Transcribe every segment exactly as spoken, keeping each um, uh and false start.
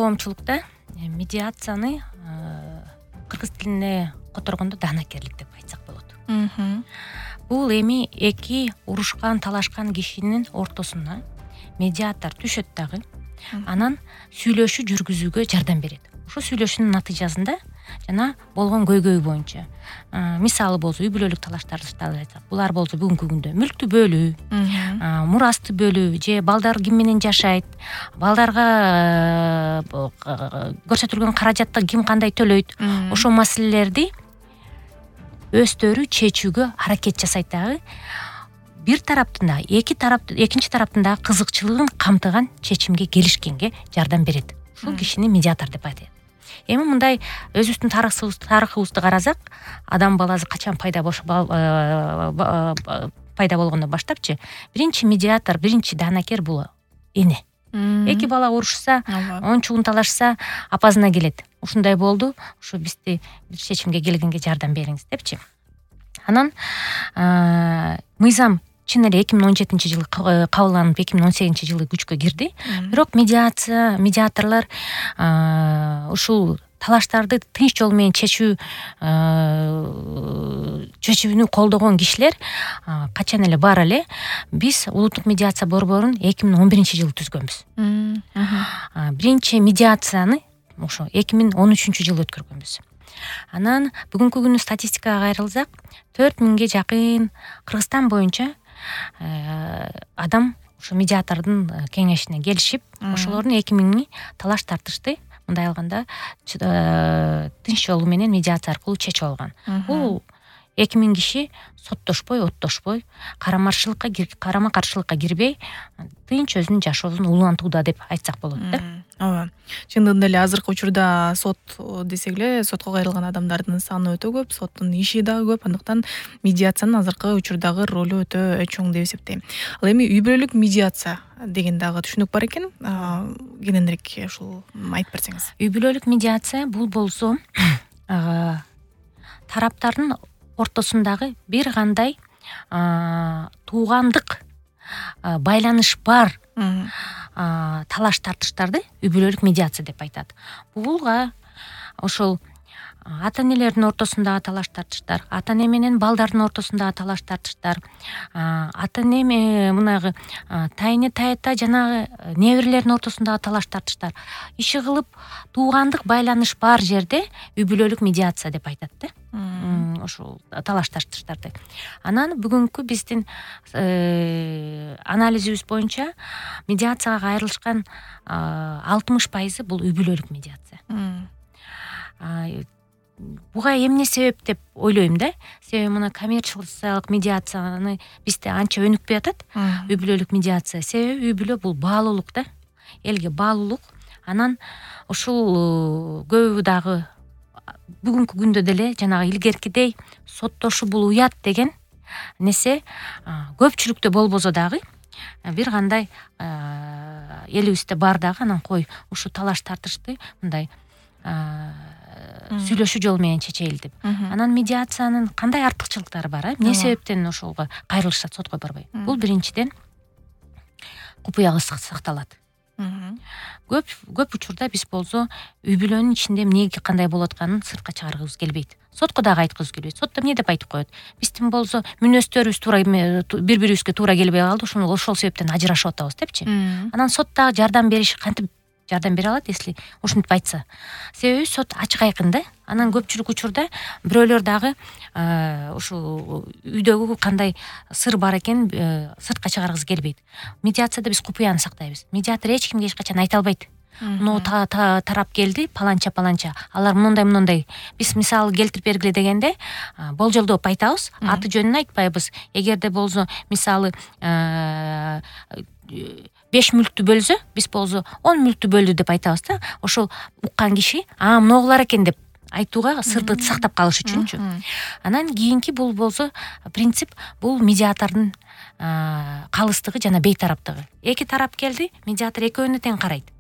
коомчулукта медиацияны кыргыз тилине которгондо даанакерлик деп айтсак болот. Бул эми эки урушкан, талашкан кишинин ортосуна медиатор түшөт дагы, анан сүйлөшүү жүргүзүүгө жардам берет. Ошо сүйлөшүүнүн натыйжасында жана болгон көйгөй боюнча, мисалы болсо үй бүлөлүк талаштарды айтсак, булар болсо бүгүнкү күндө мүлктү бөлүү, мурасты бөлүү же балдар ким менен жашайт, балдарга көрсөтүлгөн каражатты ким кандай төлөйт, ошол маселелерди өздөрү чечүүгө аракет жасайт дагы. Бир тараптын да, эки тарап, экинчи тараптын да кызыкчылыгын камтыган чечимге келишкенге жардам берет. Ушул кишини медиатор деп айтат. Эми мындай өзүбүздүн тарыхыбызды карасак, адам баласы качан пайда пайда болгондон баштапчы, биринчи медиатор, биринчи даанакер бул эне. Эки бала урушса, ончугун талашса, апасына келет. Ушундай болду, ушу бизди бир чечимге келгенге жардам бериңиз депчи. Анан мыйзам чын эле эки миң он жетинчи жылы кабылданып, эки миң он сегизинчи жылы күчкө кирди. Бирок медиация, медиаторлор ушул талаштарды тынч жол менен чечүү чечүүнү колдогон кишилер качан эле бар эле. Биз улуттук медиация борборун эки миң он биринчи жылы түзгөнбүз. Биринчи медиацияны ошо эки миң он үчүнчү жылы өткөргөнбүз. Анан бүгүнкү күнү статистикага кайрылсак, төрт миңге жакын Кыргызстан боюнча адам ошо медиатордун кеңешине келишип, ошолордун эки миңи талаш тартышты мындай алганда тынч жолу менен медиация аркылуу чечип алган. Бул эки миң киши соттошпой, оттошпой, карама-каршылыкка карама каршылыкка кирбей, тынч өзүнүн жашоосун улантууда деп айтсак болот да. Ооба. Чындыгында эле азыркы учурда сот десек эле, сотко кайрылган адамдардын саны өтө көп, соттун иши дагы көп, андыктан медиациянын азыркы учурдагы ролу өтө чоң деп эсептейм. Ал эми үй бүлөлүк медиация деген дагы түшүнүк бар экен. Кененирээк ушул айтып берсеңиз. Үй бүлөлүк медиация бул болсо тараптардын ортосундагы бир кандай туугандык байланыш бар талаш тартыштарды үй бүлөлүк медиация деп айтат. Булга ошол ата-энелердин ортосундагы талаш тартыштар, ата-эне менен балдардын ортосундагы талаш тартыштар, ата-эне мынагы тайыне тайата жанагы неберелердин ортосундагы талаш тартыштар. Иши кылып туугандык байланыш бар жерде үй бүлөлүк медиация деп айтат да. Ошол талаш тартыштарды. Анан бүгүнкү биздин анализибиз боюнча медиацияга кайрылышкан алтымыш пайызы бул үй бүлөлүк медиация. Буга эмне себеп деп ойлойм да. Себеби мына коммерциялык медиацияны бизде анча өнүкпөй атат. Үй бүлөлүк медиация себеби үй бүлө бул баалуулук да. Элге баалуулук. Анан ушул көбү дагы бүгүнкү күндө деле жанагы илгеркидей соттошуу бул уят деген нерсе көпчүлүктө болбосо дагы бир кандай элибизде бар дагы. Анан кой ушу талаш тартышты мындай сүйлөшүү жолу менен чечейли деп. Анан медиациянын кандай артыкчылыктары бар, эмне себептен ошолго кайрылышат, сотко барбай? Бул биринчиден купуяга сакталат. Көп көп учурда биз болсо үй бүлөнүн ичинде эмне кандай болуп атканын сыртка чыгаргыбыз келбейт. Сотко дагы айткыбыз келбейт. Сотто эмне деп айтып коет? Биздин болсо мүнөздөрүбүз туура бири-бирибизге туура келбей калды, ошол ошол себептен ажырашып атабыз депчи. Анан сот дагы жардам бериш кантип жардам бере алат, если ушинтип айтса. Себеби сот ачык айкын да. Анан көпчүлүк учурда бирөөлөр дагы ушул үйдөгү кандай сыр бар экен сыртка чыгаргысы келбейт. Медиацияда биз купуяны сактайбыз. Медиатор эч кимге эч качан айта албайт. Мына тарап келди, паланча паланча. Алар мындай мындай. Биз мисалы келтирип бергиле дегенде болжолдоп айтабыз, аты жөнүн айтпайбыз. Эгерде болсо мисалы беш мүлктү бөлсө, биз болсо он мүлктү бөлдү деп айтабыз да. Ошол уккан киши, а мыногулар экен деп айтууга сырды сактап калыш үчүнчү. Анан кийинки бул болсо принцип бул медиатордун калыстыгы жана бейтараптыгы. Эки тарап келди, медиатор экөөнү тең карайт.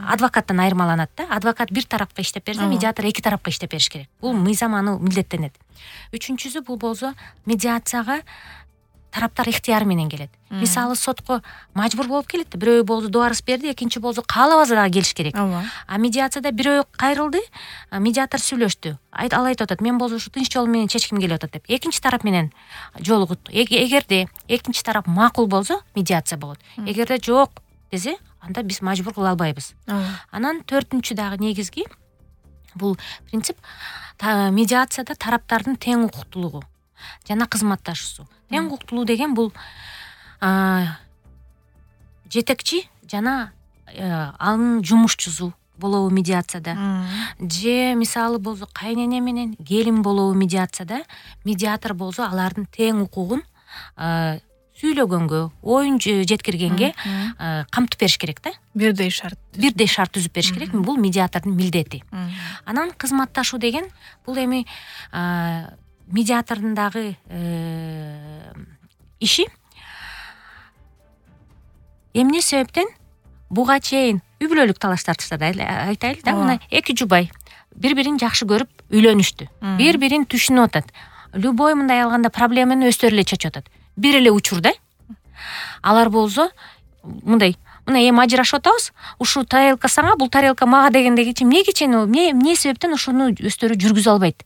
Адвокаттан айырмаланат да. Адвокат бир тарапка иштеп берсе, медиатор эки тарапка иштеп бериш керек. Бул мыйзам аны милдеттенет. Үчүнчүсү бул болсо медиацияга тараптар ыктыяры менен келет. Мисалы сотко мажбур болуп келет да, бирөө болду добарыс берди, экинчи болду каалабаса дагы келиш керек. А медиацияда бирөө кайрылды, медиатор сүйлөштү. Ал айтып атат, мен болду ушу тынч жол менен чечким келип атат деп. Экинчи тарап менен жолугут. Эгерде экинчи тарап макул болсо, медиация болот. Эгерде жок десе, анда биз мажбур кыла албайбыз. Анан төртүнчү дагы негизги бул принцип медиацияда тараптардын тең укуктуулугу жана кызматташуусу. Тең укуктуулугу деген бул жетекчи жана анын жумушчусу болобу медиацияда. Же мисалы болсо кайнене менен келин болобу медиацияда. Медиатор болсо алардын тең укугун сүйлөгөнгө, оюн жеткиргенге камтып бериш керек да. Бирдей шарт. Бирдей шарт түзүп бериш керек. Бул медиатордун милдети. Анан кызматташуу деген бул эми медиатордун дагы иши. Эмне себептен буга чейин үй бүлөлүк талаш тартыштарды айтайлы да. Мына эки жубай бири-бирин жакшы көрүп үйлөнүштү. Бири-бирин түшүнүп атат. Любой мындай алганда проблеманы өздөрү эле чечип атат. Бир эле учурда алар болсо мындай, мына эми ажырашып атабыз, ушу тарелка сага, бул тарелка мага дегендеги эмнеге чейин, эмне себептен ушуну өздөрү жүргүзө албайт?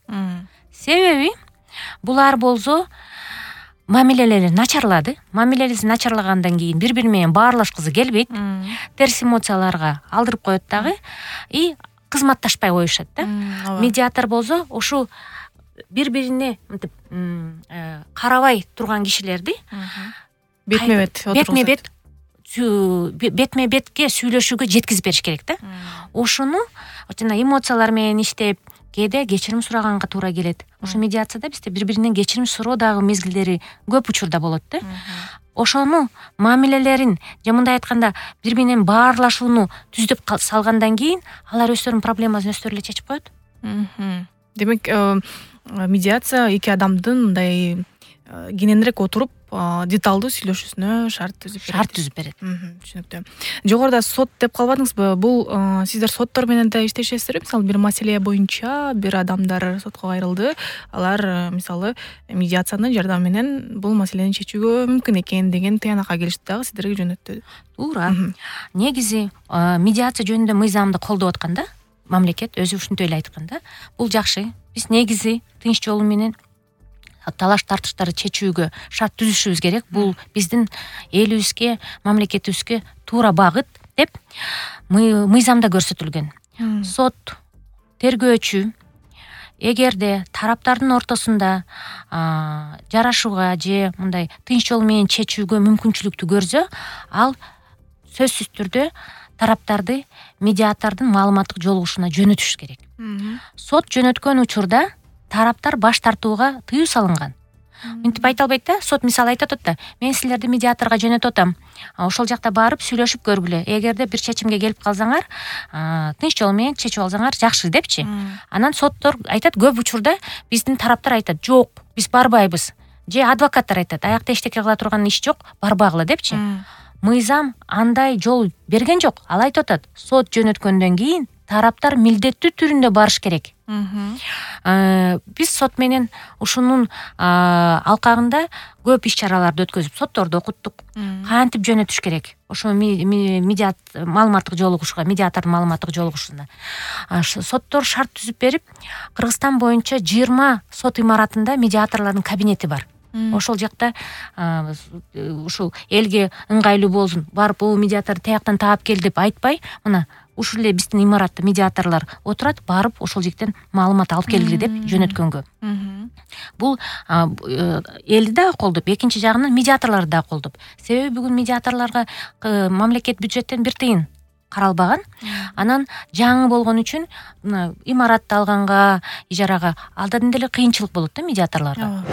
Себеби булар болсо мамилелери начарлады. Мамилелеси начарлагандан кийин бири-бири менен баарлашкысы келбейт. Терс эмоцияларга алдырып коет дагы и кызматташпай коюшат да. Медиатор болсо ушу бири-бирине мынтип карабай турган кишилерди бетме-бет бетме-бет бетме-бетке сүйлөшүүгө жеткизип бериш керек да. Ошону жана эмоциялар менен иштеп, кээде кечирим сураганга туура келет. Ошо медиацияда бизде бири-биринен кечирим суроо дагы мезгилдери көп учурда болот да. Ошону мамилелерин же мындай айтканда бири-биринен баарлашууну түзүп салгандан кийин алар өздөрүнүн проблемасын өздөрү эле чечип коет. Демек медиация эки адамдын мындай кененирээк отуруп деталдуу сүйлөшүүсүнө шарт түзүп берет. Шарт түзүп берет. Түшүнүктүү. Жогоруда сот деп калбадыңызбы? Бул сиздер соттор менен да иштешесиздер? Мисалы бир маселе боюнча бир адамдар сотко кайрылды, алар мисалы медиациянын жардамы менен бул маселени чечүүгө мүмкүн экен деген тыянакка келишти дагы сиздерге жөнөттү. Туура. Негизи медиация жөнүндө мыйзамды колдоп атканда, мамлекет өзү ушинтип эле айтканда, бул жакшы. Биз негизи тынч жолу менен талаш тартыштарды чечүүгө шарт түзүшүбүз керек. Бул биздин элибизге, мамлекетибизге туура багыт деп мыйзамда көрсөтүлгөн. Сот, тергөөчү эгерде тараптардын ортосунда жарашууга же мындай тынч жол менен чечүүгө мүмкүнчүлүктү көрсө, ал сөзсүз түрдө тараптарды медиатордун маалыматтык жолугушуна жөнөтүш керек. Сот жөнөткөн учурда тараптар баш тартууга тыюу салынган. Мынтип айта албайт да. Сот мисалы айтат да, мен силерди медиаторго жөнөтүп атам. Ошол жакта барып сүйлөшүп көргүлө. Эгерде бир чечимге келип калсаңар, тынч жол менен чечип алсаңар жакшы депчи. Анан соттор айтат, көп учурда биздин тараптар айтат, жок, биз барбайбыз. Же адвокаттар айтат, аякта эчтеке кыла турган иш жок, барбагыла депчи. Мыйзам андай жол берген жок. Ал айтып атат, сот жөнөткөндөн кийин тараптар милдеттүү түрүндө барыш керек. Биз сот менен ушунун алкагында көп иш чараларды өткөзүп, сотторду окуттук. Кантип жөнөтүш керек? Ошо медиат маалыматтык жолугушууга, медиатордун маалыматтык жолугушуусуна. Соттор шарт түзүп берип, Кыргызстан боюнча жыйырма сот имаратында медиаторлордун кабинети бар. Ошол жакта ушул элге ыңгайлуу болсун, барып бул медиаторду тияктан таап кел деп айтпай, мына ушул эле биздин имаратта медиаторлор отурат, барып ошол жактан маалымат алып келгиле деп жөнөткөнгө. Бул элди дагы колдоп, экинчи жагынан медиаторлорду дагы колдоп. Себеби бүгүн медиаторлорго мамлекет бюджеттен бир тыйын каралбаган. Анан жаңы болгон үчүн имаратты алганга, ижарага алдадан деле кыйынчылык болот да медиаторлорго.